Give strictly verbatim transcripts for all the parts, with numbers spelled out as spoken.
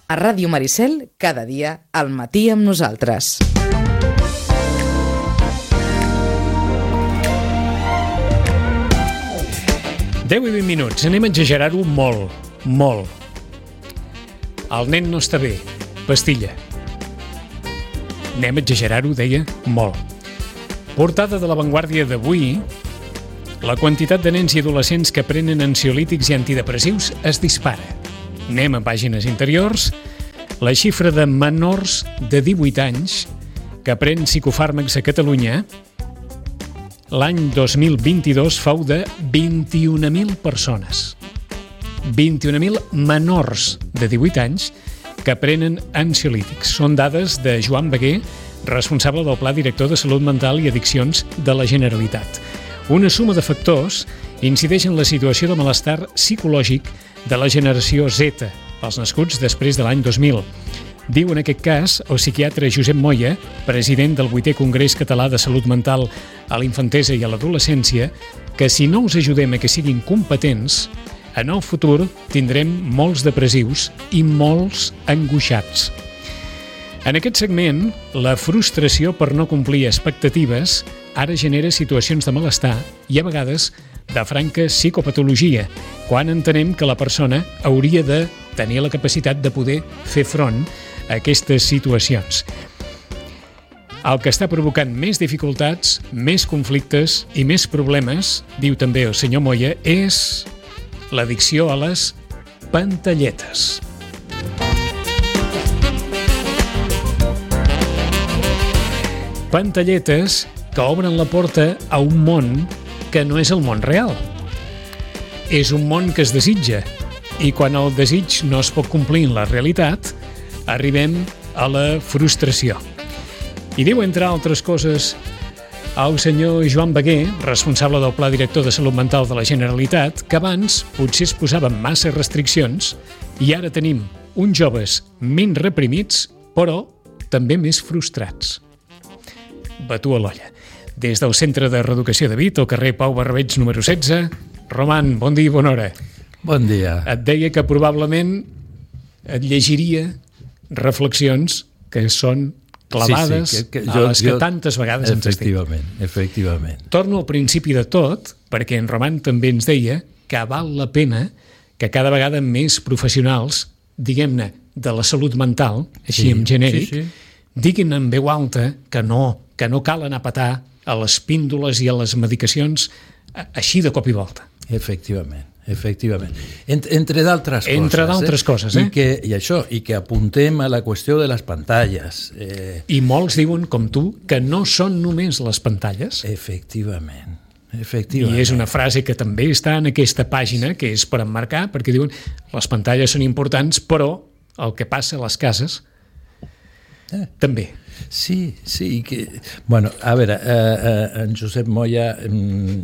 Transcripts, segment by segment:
A Ràdio Maricel, cada dia, al matí amb nosaltres. deu i vint minuts, anem a exagerar-ho molt, molt. El nen no està bé, pastilla. Anem a exagerar-ho, deia, molt. Portada de La Vanguardia d'avui, la quantitat de nens i adolescents que prenen ansiolítics i antidepressius es dispara. Anem a pàgines interiors. La xifra de menors de divuit anys que pren psicofàrmacs a Catalunya l'any dos mil vint-i-dos fou de vint-i-un mil persones. vint-i-un mil menors de divuit anys que prenen ansiolítics. Són dades de Joan Beguer, responsable del Pla Director de Salut Mental i Addiccions de la Generalitat. Una suma de factors incideix en la situació de malestar psicològic de la generació Z, els nascuts després de l'any dos mil. Diu en aquest cas el psiquiatre Josep Moya, president del vuitè Congrés Català de Salut Mental a la Infantesa i a l'Adolescència, que si no us ajudem a que siguin competents, en el futur tindrem molts depressius i molts angoixats. En aquest segment, la frustració per no complir expectatives ara genera situacions de malestar i a vegades de franca psicopatologia, quan entenem que la persona hauria de tenir la capacitat de poder fer front a aquestes situacions. El que està provocant més dificultats, més conflictes i més problemes, diu també el senyor Moya, és l'addicció a les pantalletes. Pantalletes que obren la porta a un món que no és el món real. És un món que es desitja, i quan el desig no es pot complir en la realitat, arribem a la frustració. I diu, entre altres coses, el senyor Joan Beguer, responsable del Pla Director de Salut Mental de la Generalitat, que abans potser es posaven massa restriccions i ara tenim uns joves menys reprimits, però també més frustrats. Batu a l'olla. Des del Centre de Reeducació de Vic, al carrer Pau Barbeig número setze. Roman, bon dia i bona hora. Bon dia. Et deia que probablement et llegiria reflexions que són clavades sí, sí, que, que jo, a les que jo, tantes vegades ens estic. Efectivament, efectivament. Torno al principi de tot, perquè en Roman també ens deia que val la pena que cada vegada més professionals, diguem-ne, de la salut mental, així sí, en genèric, sí, sí. diguin en veu alta que no, que no cal anar a petar a les píndoles i a les medicacions així de cop i volta. Efectivament. Efectivament. Entre, entre d'altres coses. Entre d'altres eh? coses, eh? I, que, I això, i que apuntem a la qüestió de les pantalles. Eh... I molts diuen, com tu, que no són només les pantalles. Efectivament. Efectivament. I és una frase que també està en aquesta pàgina, que és per emmarcar, perquè diuen les pantalles són importants, però el que passa a les cases eh. també. Sí, sí. Que, bueno, a veure, eh, eh, en Josep Moya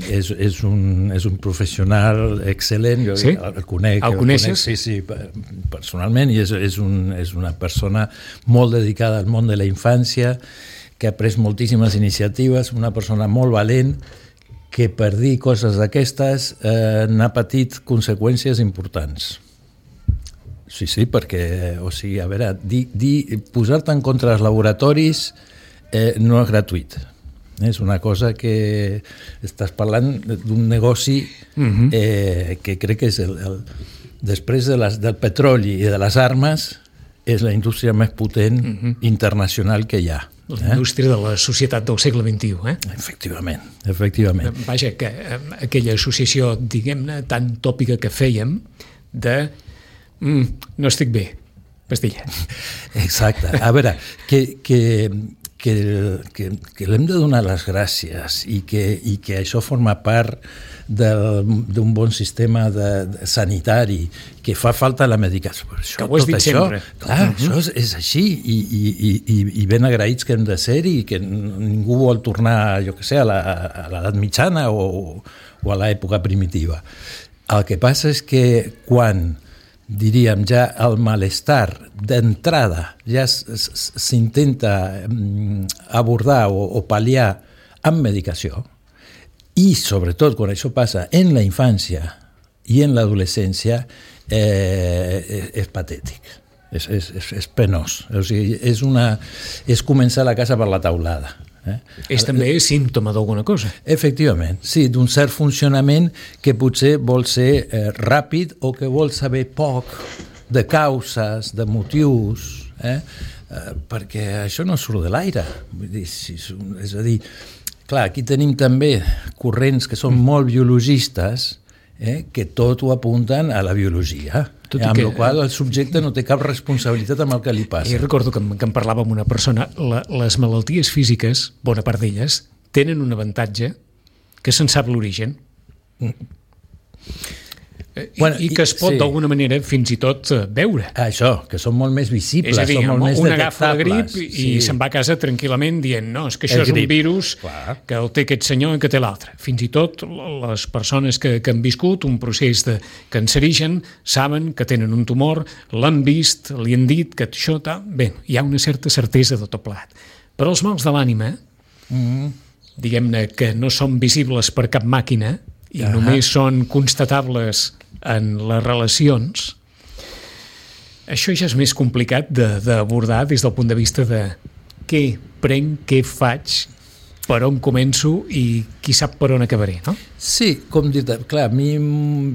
és, és, un, és un professional excel·lent, jo sí? el conec. El coneixes? El conec, sí, sí, personalment, i és, és, un, és una persona molt dedicada al món de la infància, que ha pres moltíssimes iniciatives, una persona molt valent, que per dir coses d'aquestes eh, n'ha patit conseqüències importants. Sí, sí, perquè, o sigui, a veure, di, di, posar-te en contra dels laboratoris eh, no és gratuït. És una cosa que estàs parlant d'un negoci uh-huh. eh, que crec que és el, el, després de les, del petroli i de les armes és la indústria més potent uh-huh. internacional que hi ha. La indústria eh? de la societat del segle vint-i-u, eh? Efectivament, efectivament. Vaja, que aquella associació, diguem-ne, tan tòpica que fèiem de Mm, no estic bé, pastilla. Exacte. A veure, que, que, que, que, que l'hem de donar les gràcies i que, i que això forma part d'un bon sistema de, de sanitari, que fa falta la medicació. Això, que ho has dit això, sempre. Clar, uh-huh. això és, és així i, i, i, i ben agraïts que hem de ser-hi i que ningú vol tornar, jo què sé, a l'edat mitjana o, o a l'època primitiva. El que passa és que quan diríem, ja el malestar d'entrada ja s'intenta abordar o, o pal·liar amb medicació, i sobretot quan això passa en la infància i en l'adolescència, eh, és patètic. És, és, és, és penós. O sigui, és, una, és començar la casa per la taulada. Eh? És també símptoma d'alguna cosa. Efectivament, sí, d'un cert funcionament que potser vol ser eh, ràpid o que vol saber poc de causes, de motius, eh? Eh, perquè això no surt de l'aire. Vull dir, si, és a dir, clar, aquí tenim també corrents que són molt biologistes, eh, que tot ho apunten a la biologia. Tot eh, amb que, la qual el subjecte no té cap responsabilitat amb el que li passa. I recordo que, que em parlava amb una persona, la, les malalties físiques, bona part d'elles, tenen un avantatge que se'n sap l'origen. Mm. I, bueno, i que es pot, sí, d'alguna manera, fins i tot veure. Això, que són molt més visibles, és a dir, són molt més un detectables. agafa la grip i sí, se'n va a casa tranquil·lament dient no, és que això és un virus, clar, que el té aquest senyor i que té l'altre. Fins i tot les persones que, que han viscut un procés de cancerigen saben que tenen un tumor, l'han vist, li han dit que això... Ta... Bé, hi ha una certa certesa de tot plegat. Però els mals de l'ànima, mm-hmm, diguem-ne que no són visibles per cap màquina i uh-huh, només són constatables en les relacions, això ja és més complicat d'abordar des del punt de vista de què prenc, què faig, per on començo i qui sap per on acabaré, no? Sí, com dir, clar, a mi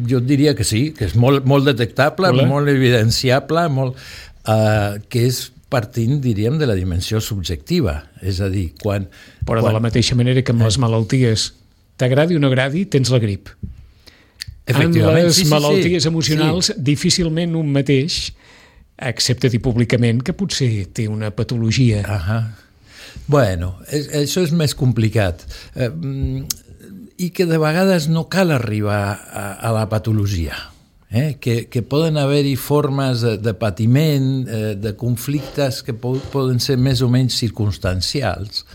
jo diria que sí, que és molt, molt detectable, Hola. molt evidenciable, molt, uh, que és partint, diríem, de la dimensió subjectiva, és a dir, quan... Però quan... de la mateixa manera que amb les malalties, t'agradi o no agradi, tens la grip. En les sí, sí, malalties sí, emocionals, sí, difícilment un mateix accepta dir públicament que potser té una patologia. Ahà. Bueno, és, això és més complicat. Eh, I que de vegades no cal arribar a, a la patologia. Eh? Que, que poden haver-hi formes de, de patiment, eh, de conflictes que po poden ser més o menys circumstancials,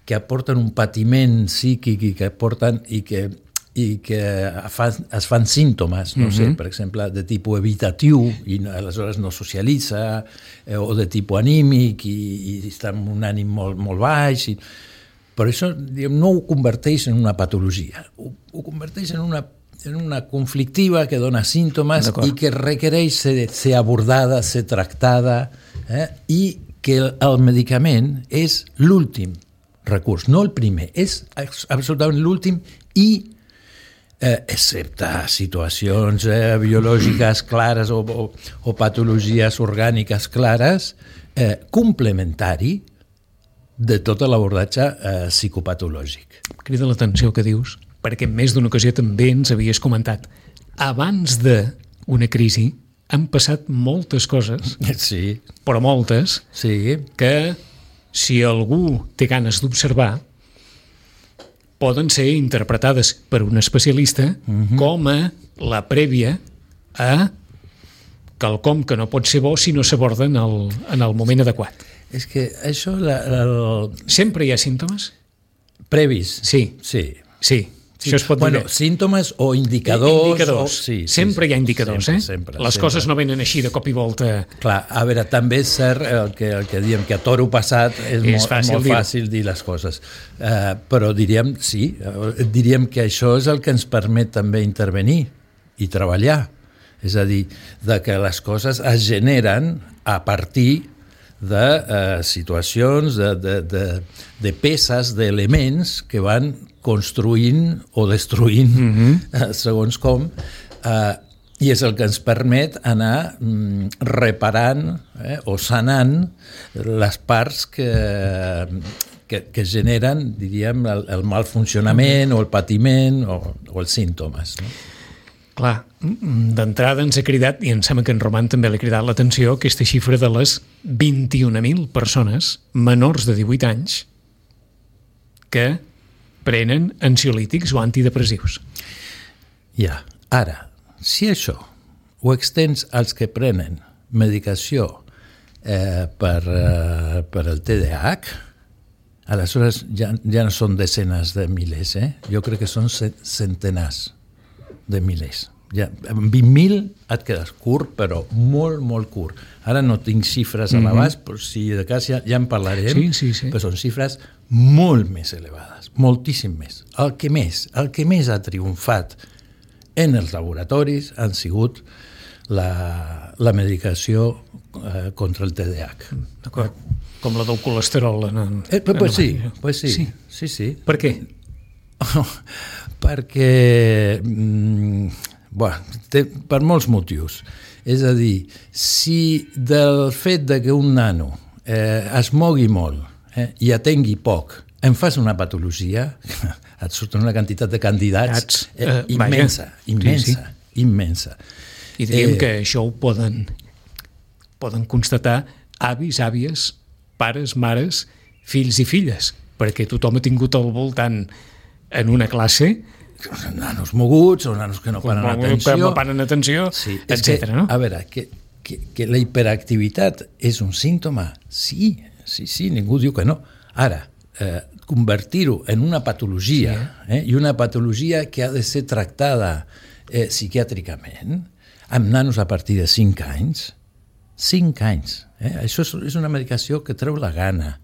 que aporten un patiment psíquic i que aporten i que, i que fan, es fan símptomes, no mm-hmm, sé, per exemple, de tipus evitatiu i aleshores no socialitza, eh, o de tipus anímic i, i està amb un ànim molt, molt baix. I... Però això diguem, no ho converteix en una patologia, ho, ho converteix en una, en una conflictiva que dona símptomes i que requereix ser, ser abordada, ser tractada, eh? I que el, el medicament és l'últim recurs, no el primer, és absolutament l'últim i, eh, excepte situacions eh, biològiques clares o, o, o patologies orgàniques clares, eh, complementari de tot l'abordatge eh, psicopatològic. Crida l'atenció que dius, perquè en més d'una ocasió també ens havies comentat. Abans d'una crisi han passat moltes coses, sí, però moltes, sí, que si algú té ganes d'observar, poden ser interpretades per un especialista uh-huh, com a la prèvia a quelcom que no pot ser bo si no s'aborda en, el, en el moment adequat. És que això... La, la, el... Sempre hi ha símptomes? Previs? Sí. Sí. Sí. Sí. Això es pot bueno, dir. Símptomes o indicadors. Indicadors. O... Sí, sempre sí, hi ha indicadors, sempre, eh? sempre, Les sempre. coses no venen així de cop i volta. Clar, a veure, també és cert el que, el que diem, que a toro passat és, és molt, fàcil, molt dir fàcil dir les coses. Uh, però diríem, sí, diríem que això és el que ens permet també intervenir i treballar. És a dir, de que les coses es generen a partir de uh, situacions, de, de, de, de peces, d'elements que van construint o destruint, mm-hmm, uh, segons com, uh, i és el que ens permet anar mm, reparant eh, o sanant les parts que, que, que generen, diríem, el, el mal funcionament o el patiment o, o els símptomes, no? Clar, d'entrada ens ha cridat, i em sembla que en Roman també l'ha cridat l'atenció, aquesta xifra de les vint-i-una mil persones menors de divuit anys que prenen ansiolítics o antidepressius. Ja, ara, si això ho extens als que prenen medicació eh, per, eh, per el T D A H, aleshores ja, ja no són desenes de milers, eh? Jo crec que són centenars de milers. Ja, amb vint mil et quedes curt, però molt, molt curt. Ara no tinc xifres a l'abast, però si de cas ja, ja en parlarem, sí, sí, sí. Però són xifres molt més elevades, moltíssim més. El que més, el que més ha triomfat en els laboratoris han sigut la, la medicació eh, contra el T D A H. D'acord. Com la del colesterol. En, en, eh, pues, pues, sí, pues sí, sí, sí, sí. Per què? Perquè, mm, bueno, té, per molts motius. És a dir, si del fet de que un nano eh, es mogui molt eh, i atengui poc, em fas una patologia, et surten una quantitat de candidats eh, uh, immensa, vaja. immensa, sí, sí. immensa. I diríem eh, que això ho poden, poden constatar avis, àvies, pares, mares, fills i filles, perquè tothom ha tingut al voltant en una classe nanos moguts o nanos que no paren atenció, que no paren atenció, sí, etcètera. No? A veure, que, que, que la hiperactivitat és un símptoma? Sí, sí, sí, ningú diu que no. Ara, eh, convertir-ho en una patologia, sí. eh, i una patologia que ha de ser tractada eh, psiquiàtricament, amb nanos a partir de cinc anys, cinc anys. Eh? Això és, és una medicació que treu la gana,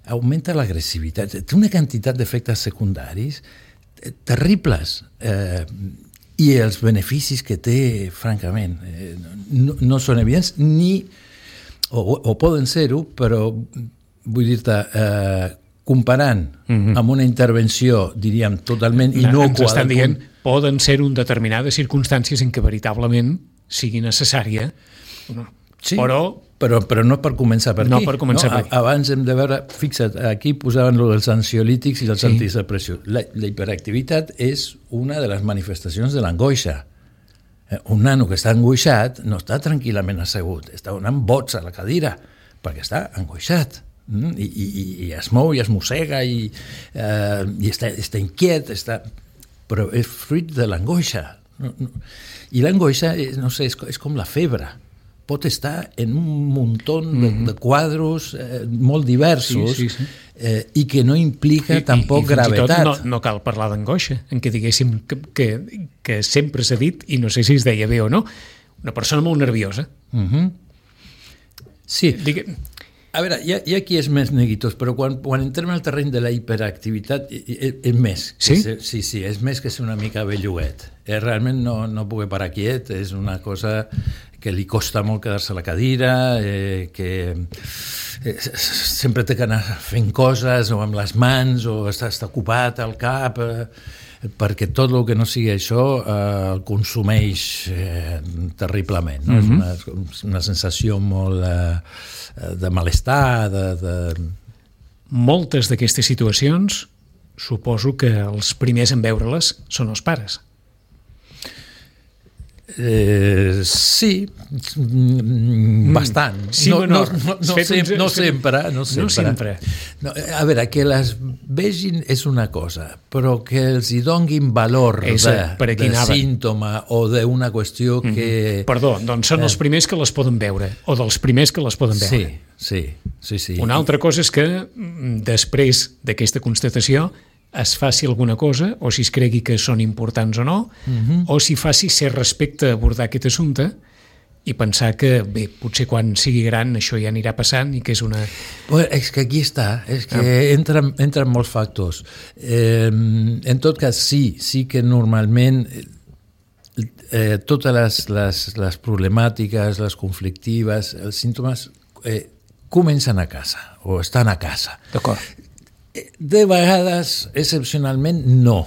augmenta l'agressivitat, té una quantitat d'efectes secundaris terribles, eh, i els beneficis que té, francament, eh, no, no són evidents, ni, o, o poden ser-ho, però vull dir-te, eh, comparant mm-hmm. amb una intervenció, diríem, totalment inocua... Ens estan dient, poden ser-ho en determinades circumstàncies en què veritablement sigui necessària, no. Sí, però, però, però no per començar per aquí. No per començar no? per aquí. Abans hem de veure, fixa't, aquí posaven lo dels ansiolítics i els sí. antidepressius. La, la hiperactivitat és una de les manifestacions de l'angoixa. Eh, un nano que està angoixat no està tranquil·lament assegut, està donant bots a la cadira, perquè està angoixat. Mm? I, i, i es mou i es mossega i, eh, i està, està inquiet, està... però és fruit de l'angoixa. No, no. I l'angoixa, no sé, és, és com la febre. Pot estar en un muntó de, mm-hmm. de quadros eh, molt diversos sí, sí, sí. Eh, i que no implica I, tampoc i, i gravetat. No, no cal parlar d'angoixa, en què diguéssim que, que, que sempre s'ha dit, i no sé si es deia bé o no, una persona molt nerviosa. Mm-hmm. Sí. Digue... A veure, hi ha, hi ha qui és més neguitós, però quan, quan entrem al terreny de la hiperactivitat és, és més. Sí? És, sí, sí, és més que ser una mica belluguet. Eh, realment no, no puc parar quiet, és una cosa que li costa molt quedar-se a la cadira, eh, que eh, sempre té que anar fent coses o amb les mans o està, està ocupat al cap, eh, perquè tot el que no sigui això eh, el consumeix eh, terriblement. No? Mm-hmm. És una, una sensació molt eh, de malestar, de, de... Moltes d'aquestes situacions suposo que els primers en veure-les són els pares. Eh, sí, bastant. Sí, no, no, no, no, no, sem no sempre. No sempre. No sempre. No, a veure, que les vegin és una cosa, però que els hi donguin valor és, de, de símptoma o d'una qüestió que... Mm-hmm. Perdó, doncs són eh... els primers que les poden veure, o dels primers que les poden veure. Sí, sí, sí. sí. Una altra cosa és que després d'aquesta constatació es faci alguna cosa, o si es cregui que són importants o no, uh-huh. o si faci ser respecte a abordar aquest assumpte i pensar que, bé, potser quan sigui gran això ja anirà passant i que és una... Bueno, és que aquí està, és que ah. entren, entren molts factors. Eh, en tot cas, sí, sí que normalment eh, totes les, les, les problemàtiques, les conflictives, els símptomes eh, comencen a casa, o estan a casa. D'acord. De vegades, excepcionalment, no.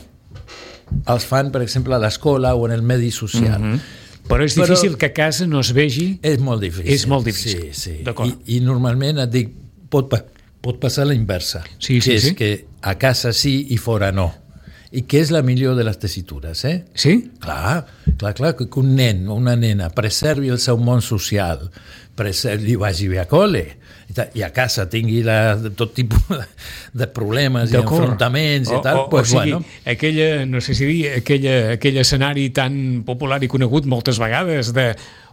Els fan, per exemple, a l'escola o en el medi social. Mm-hmm. Però és difícil Però que a casa no es vegi... És molt difícil. És molt difícil. Sí, sí. D'acord. I, I normalment et dic, pot, pot passar la inversa. Sí, sí, que és sí. que a casa sí i fora no. I que és la millor de les tessitures, eh? Sí? Clar, clar, clar, que un nen o una nena preservi el seu món social, preservi, vagi bé a col·le, i a casa tingui la, tot tipus de problemes i enfrontaments i tal, o, o, pues, o sigui, bueno. aquella, no sé si dir, aquella, aquell escenari tan popular i conegut moltes vegades de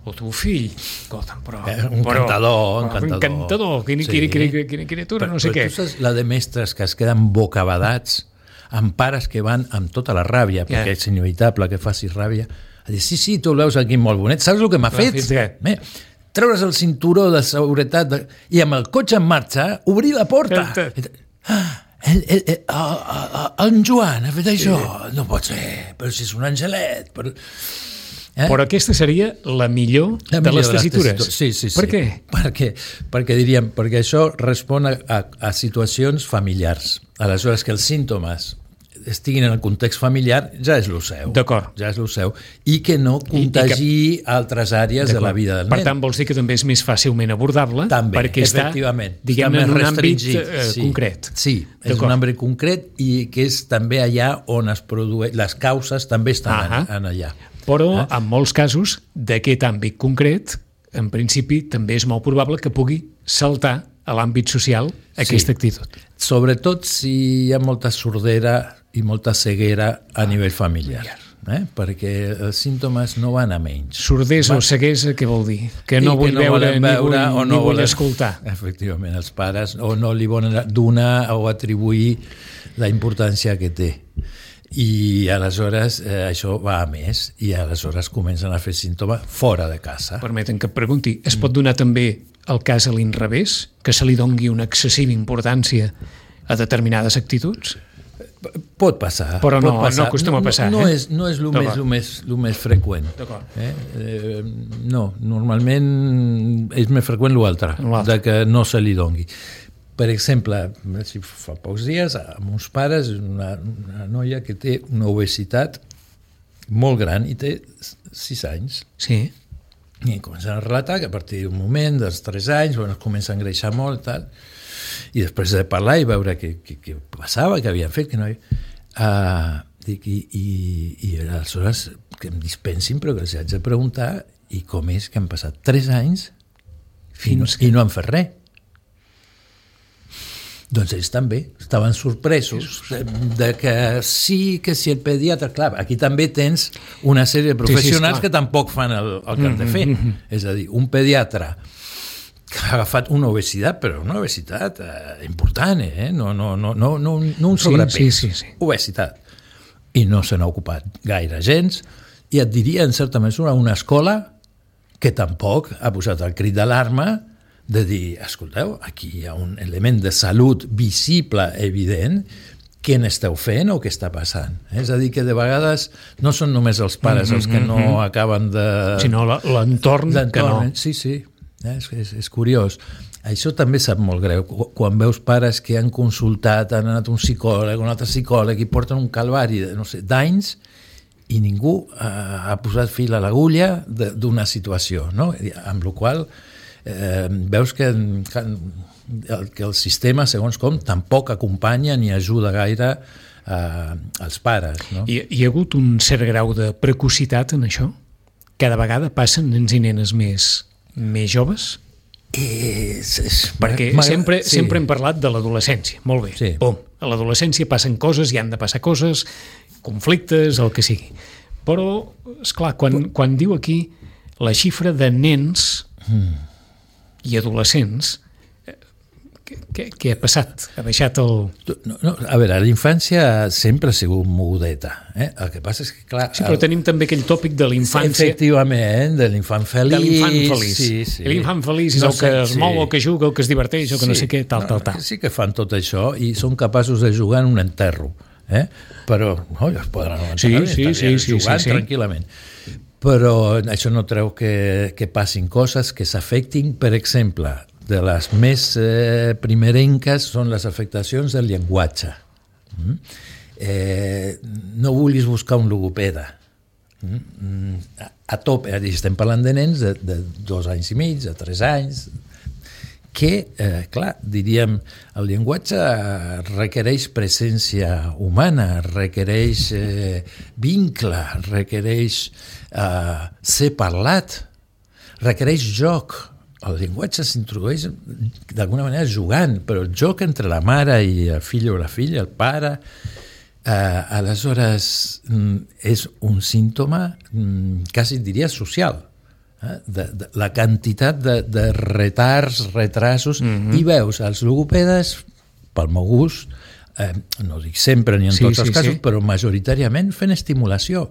o tu fill, escolta'm, però... Eh, un però, cantador, un però, cantador. Un cantador, quina, sí. quina, quina, quina criatura, però, no sé però què. Tu saps la de mestres que es queden bocabadats amb pares que van amb tota la ràbia, yeah. perquè és inevitable que facis ràbia, a dir, sí, sí, tu el veus aquí molt bonet, saps el que m'ha fet? Bé, treure's el cinturó de seguretat de... i amb el cotxe en marxa obrir la porta. Ah, el, el, el, el, el Joan ha fet això. Sí. No pot ser, però si és un angelet. Però... Eh? Però aquesta seria la millor, la de millor les tessitures. Sí, sí, sí. Per què? Perquè, perquè diríem, perquè això respon a, a, a situacions familiars. Aleshores, que els símptomes estiguin en el context familiar ja és el seu. D'acord. Ja és el seu. I que no contagi I, i que... altres àrees de la vida del nen. Per tant, vols dir que també és més fàcilment abordable? També, perquè està, diguem-ne, en un àmbit eh, sí. concret. Sí, és un àmbit concret i que és també allà on es produeix... Les causes també estan en, en allà. Però, eh? en molts casos, d'aquest àmbit concret, en principi, també és molt probable que pugui saltar a l'àmbit social aquesta sí. actitud. Sobretot si hi ha molta sordera i molta ceguera a nivell familiar, eh? Perquè els símptomes no van a menys. Sordesa van... o ceguesa, què vol dir? Que no vull que no veure, ni vull, o no ni vull volen... escoltar. Efectivament, els pares o no li volen donar o atribuir la importància que té. I aleshores eh, això va a més i aleshores comencen a fer símptomes fora de casa. Permeten que et pregunti, es pot donar també el cas a l'inrevés, que se li dongui una excessiva importància a determinades actituds? Pot passar. Però no, pot passar. no acostuma a passar. No, no, eh? no és, no és el, més, el, més, el més freqüent. Eh? Eh, no, normalment és més freqüent l'altre, de que no se li dongui. Per exemple, fa pocs dies, amb uns pares, una, una noia que té una obesitat molt gran i té sis anys. Sí. I comencen a relatar que a partir d'un moment, dels tres anys, bueno, es comença a engreixar molt, tal, i després de parlar i veure què, què, què passava, què havien fet, que no hi... Uh, dic, i, i, i aleshores que em dispensin, però que els haig de preguntar i com és que han passat tres anys fins i no, i no han fet res. Doncs ells també estaven sorpresos de, de que sí, que si el pediatre... Clar, aquí també tens una sèrie de professionals sí, sí, que tampoc fan el, el que han de fer. Mm-hmm. És a dir, un pediatre que ha agafat una obesitat, però una obesitat eh, important, eh? No, no, no, no, no, no un sobrepès, sí, sí, sí, sí. obesitat. I no se n'ha ocupat gaire gens, i et diria, en certa mesura, una escola que tampoc ha posat el crit d'alarma de dir, escolteu, aquí hi ha un element de salut visible, evident, què n'esteu fent o què està passant? És a dir, que de vegades no són només els pares els que no acaben de... Sinó l'entorn que no. Sí, sí. És, és, és curiós. Això també sap molt greu. Quan veus pares que han consultat, han anat un psicòleg, un altre psicòleg i porten un calvari de, no sé, d'anys i ningú ha, ha posat fil a l'agulla d'una situació, no? Amb la qual eh, veus que, que, el, que el sistema, segons com, tampoc acompanya ni ajuda gaire eh, als pares. No? Hi, hi ha hagut un cert grau de precocitat en això? Cada vegada passen nens i nenes més... més joves? És, és, perquè sempre, sí. sempre hem parlat de l'adolescència, molt bé, sí. Pum. A l'adolescència passen coses, hi han de passar coses, conflictes, el que sigui, però esclar, quan, quan diu aquí la xifra de nens mm. i adolescents, què, què ha passat? Ha baixat el... No, no, a veure, la infància sempre ha sigut mogudeta. Eh? El que passa és que, clar... Sí, però el... tenim també aquell tòpic de l'infància... Efectivament, de l'infant feliç... De l'infant feliç. Sí, sí. L'infant feliç és no el que sé, es mou, sí. el que juga, el que es diverteix, el que sí. no sé què, tal, tal, tal. Sí que fan tot això i són capaços de jugar en un enterro. Eh? Però, no, es poden enterrar, sí, sí, sí, sí, jugant sí, sí. tranquil·lament. Però això no treu que, que passin coses que s'afectin, per exemple... de les més eh, primerenques són les afectacions del llenguatge. Mm? Eh, no vulguis buscar un logopeda. Mm? A, a tope, estem parlant de nens de, de dos anys i mig, de tres anys, que, eh, clar, diríem, el llenguatge requereix presència humana, requereix eh, vincle, requereix eh, ser parlat, requereix joc. El llenguatge s'introdueix d'alguna manera jugant, però el joc entre la mare i el fill o la filla, el pare, eh, aleshores és un símptoma quasi diria social. Eh? De, de, la quantitat de, de retards, retrasos, mm-hmm. i veus els logopedes, pel meu gust, eh, no dic sempre ni en sí, tots els sí, casos, sí. però majoritàriament fent estimulació.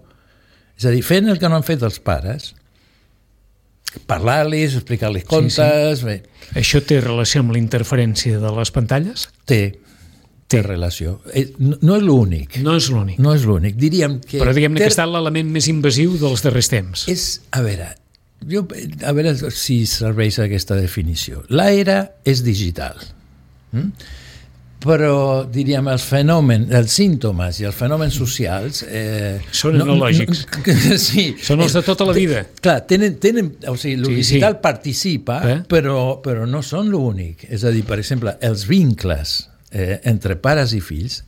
És a dir, fent el que no han fet els pares, parlar-los, explicar-los contes... Sí, sí. Bé. Això té relació amb la interferència de les pantalles? Té, té relació. No és l'únic. No és l'únic. No és l'únic. Diríem que... Però diguem-ne ter... que ha estat l'element més invasiu dels darrers temps. És, a veure, jo, a veure si serveix aquesta definició. L'era és digital. Mm? Però, diríem, els fenòmens, els símptomes i els fenòmens socials... Eh, són analògics. No, no, sí. Són els de tota la vida. Clar, tenen, tenen, o sigui, el sí, digital sí. participa, eh? però, però no són l'únic. És a dir, per exemple, els vincles eh, entre pares i fills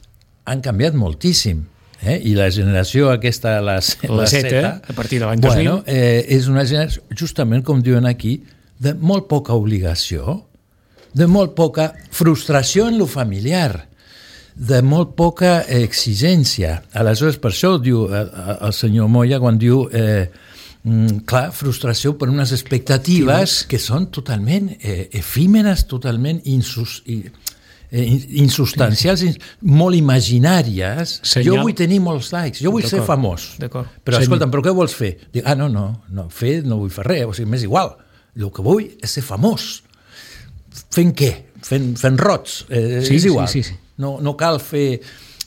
han canviat moltíssim. Eh? I la generació aquesta, la, la, la Z, Z, a partir de l'any dos mil... Bueno, eh, és una generació, justament com diuen aquí, de molt poca obligació, de molt poca frustració en lo familiar, de molt poca exigència. Aleshores, per això diu el, el senyor Moya quan diu eh, clar, frustració per unes expectatives que són totalment eh, efímeres, totalment insus, eh, insubstancials, sí, sí. molt imaginàries. Senyal. Jo vull tenir molts likes, jo vull ser famós. Però Senyal. escolta'm, però què vols fer? Dic, ah, no, no, no, fer no vull fer res, o sigui, m'és igual. El que vull és ser famós. Fent què? Fent, fent rots. Eh, sí, és igual. Sí, sí, sí. No, no cal fer...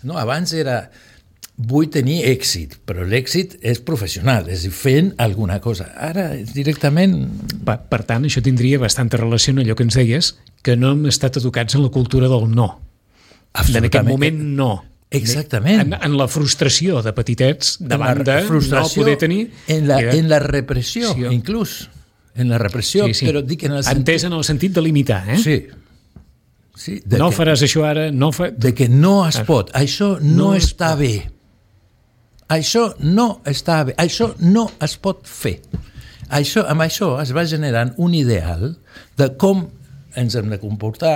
No, abans era... Vull tenir èxit, però l'èxit és professional, és fent alguna cosa. Ara, directament... Per, per tant, això tindria bastanta relació amb allò que ens deies, que no hem estat educats en la cultura del no. En aquest moment, no. Exactament. En, en la frustració de petitets, davant de no poder tenir... En la, en la repressió, sí, inclús. En la repressió, sí, sí. Però dic en el sentit... Entès en el sentit de limitar, eh? Sí. sí no que, faràs això ara, no fa... De que no es pot, això no, no està bé. Això no està bé, això no es pot fer. Això, amb això es va generant un ideal de com ens hem de comportar,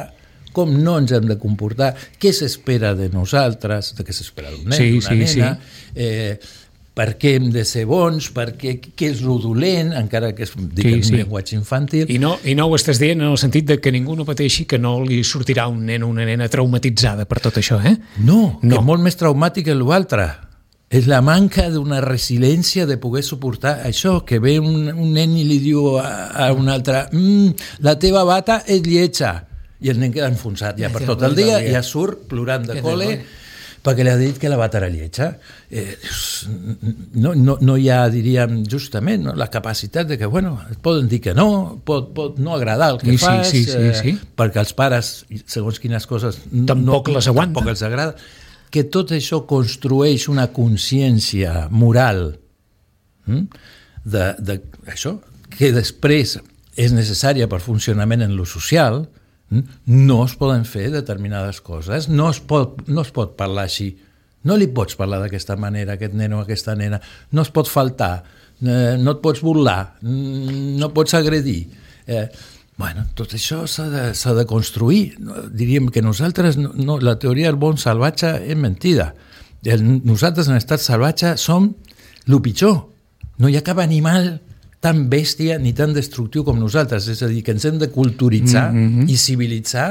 com no ens hem de comportar, què s'espera de nosaltres, de què s'espera d'un nen, sí, d'una sí, nena, sí. eh, per què hem de ser bons, per què, què és lo dolent, encara que és diguem, sí, sí. un llenguatge infantil. I no, I no ho estàs dient en el sentit de que ningú no pateixi, que no li sortirà un nen o una nena traumatitzada per tot això, eh? No, no. Que és molt més traumàtic que l'altre. És la manca d'una resiliència de poder suportar això, que ve un, un nen i li diu a, a un altre mm, la teva bata és lletja, i el nen queda enfonsat ja per tot el dia, i ja surt plorant de col·le perquè li ha dit que la bata era lletja. Eh, no, no, no hi ha, diríem, justament, no, la capacitat de que, bueno, et poden dir que no, pot, pot no agradar el que sí, fas, sí, sí, sí, sí. Eh, perquè els pares, segons quines coses, tampoc no, les aguanten. Tampoc els agrada. Que tot això construeix una consciència moral hm? de, de això, que després és necessària per funcionament en lo social. No es poden fer determinades coses, no es pot, no es pot parlar així, no li pots parlar d'aquesta manera, aquest nen o aquesta nena, no es pot faltar, no et pots burlar, no pots agredir. Eh, bueno, tot això s'ha de, s'ha de construir. Diríem que nosaltres, no, la teoria del bon salvatge és mentida. El, nosaltres en estat salvatge som el pitjor. No hi ha cap animal tan bèstia ni tan destructiu com nosaltres, és a dir, que ens hem de culturitzar mm-hmm. i civilitzar,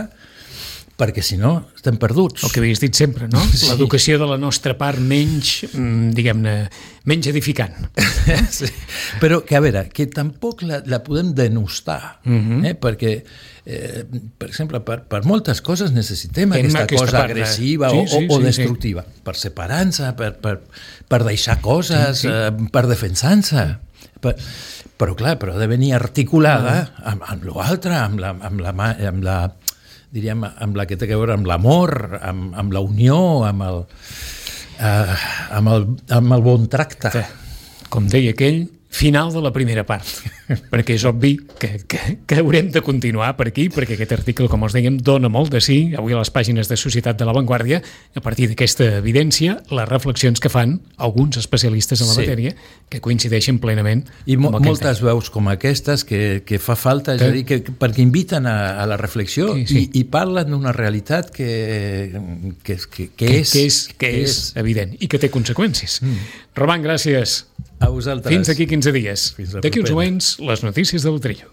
perquè si no estem perduts. El que havies dit sempre, no? Sí. L'educació de la nostra part menys, diguem-ne, menys edificant. Sí. Però que, a veure, que tampoc la, la podem denostar, mm-hmm. eh? perquè, eh, per exemple, per, per moltes coses necessitem Tem aquesta, aquesta cosa agressiva sí, sí, o, o destructiva. Sí, sí. Per separar-se, per, per, per deixar coses, sí, sí. Eh, per defensar-se. Per, però clar, però ha de venir articulada ah. amb, amb l'altre, amb la, amb la, amb la diríem, amb la que té a veure amb l'amor, amb, amb la unió, amb el, eh, amb el, amb el bon tracte. Com deia aquell, final de la primera part, perquè és obvi que, que, que haurem de continuar per aquí, perquè aquest article, com us dèiem, dona molt de sí, avui a les pàgines de Societat de la Vanguardia, a partir d'aquesta evidència, les reflexions que fan alguns especialistes en la sí. matèria, que coincideixen plenament. I mo- moltes veus com aquestes que, que fa falta, és que... a dir, que, perquè inviten a, a la reflexió sí, sí. I, i parlen d'una realitat que, que, que, que, que, és, que, és, que, que és evident i que té conseqüències. Mm. Roman, gràcies. A vosaltres. Fins aquí quinze dies. D'aquí uns moments, les notícies del Trillo.